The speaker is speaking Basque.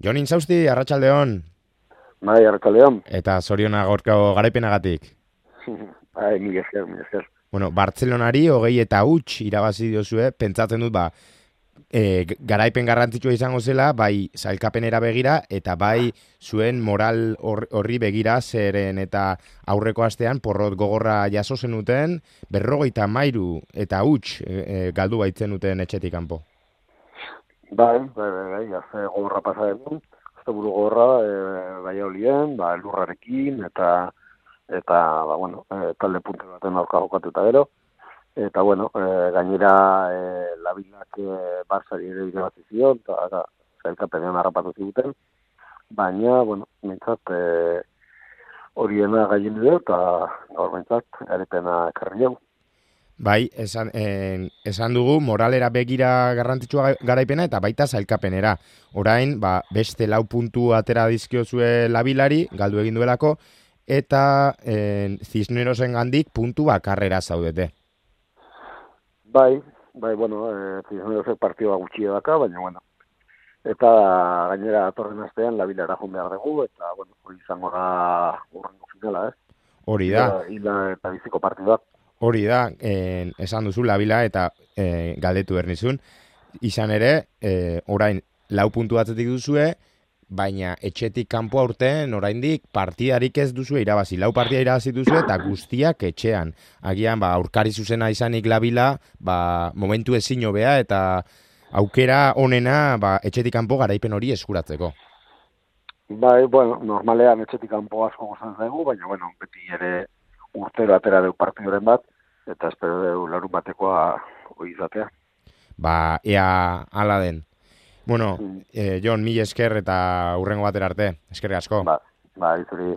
Jon Intzausti, arratsaldeon. Bai, arratsaldeon. Eta zoriona gaurko garaipenagatik. Bai, mila esker. Bueno, Bartzelonari 20 irabazi diozue, pentsatzen dut, garaipen garrantzitsua izango zela, bai sailkapenera begira, eta bai zuen moral horri begira, zeren eta aurreko astean porrot gogorra jaso zenuten, 53 eta huts galdu baitzen duten etxetik kanpo. Bai, haze gogorra pasa den, azte buru gogorra, bai olien, lurrarekin, eta talde puntu baten aurka jokatuta gero. Eta, gainera, labilak Barsari ere irabazi zion, eta zailkapenean harrapatu ziguten. Baina, mintzat, horiena gaien dut, eta gaur mintzat, garipena ekarri jau. Bai, esan dugu, moralera begira garrantzitsua garaipena eta baita zailkapenera. Orain, beste 4 puntu atera dizkiozue labilari, galdu egin duelako, eta Cisnerosen gandik puntu bakarrera zaudete. Bai, Cisnerosek partioa gutxi daka, baina, eta gainera atorren astean labilara joan behar dugu, eta, hori izango da urrengo finala, Hori da. Ila eta biziko partida. Hori da, esan duzu labila eta galdetu bernizun. Izan ere, orain 4 puntu atzetik duzue, baina etxetik kanpo aurten oraindik partidarik ez duzue irabazi. 4 partida irabazi duzue eta guztiak etxean. Agian, aurkari zuzena izanik labila, momentu ezin hobea eta aukera onena etxetik kanpo garaipen hori eskuratzeko. Bai, normalean etxetik kanpo asko gozan zaigu, baina, beti ere urtero atera deu partidoren bat, eta espero deu larun batekoa hori izatea. Ea ala den. Jon, mila esker eta hurrengo batera arte. Eskerrik asko. Izuri.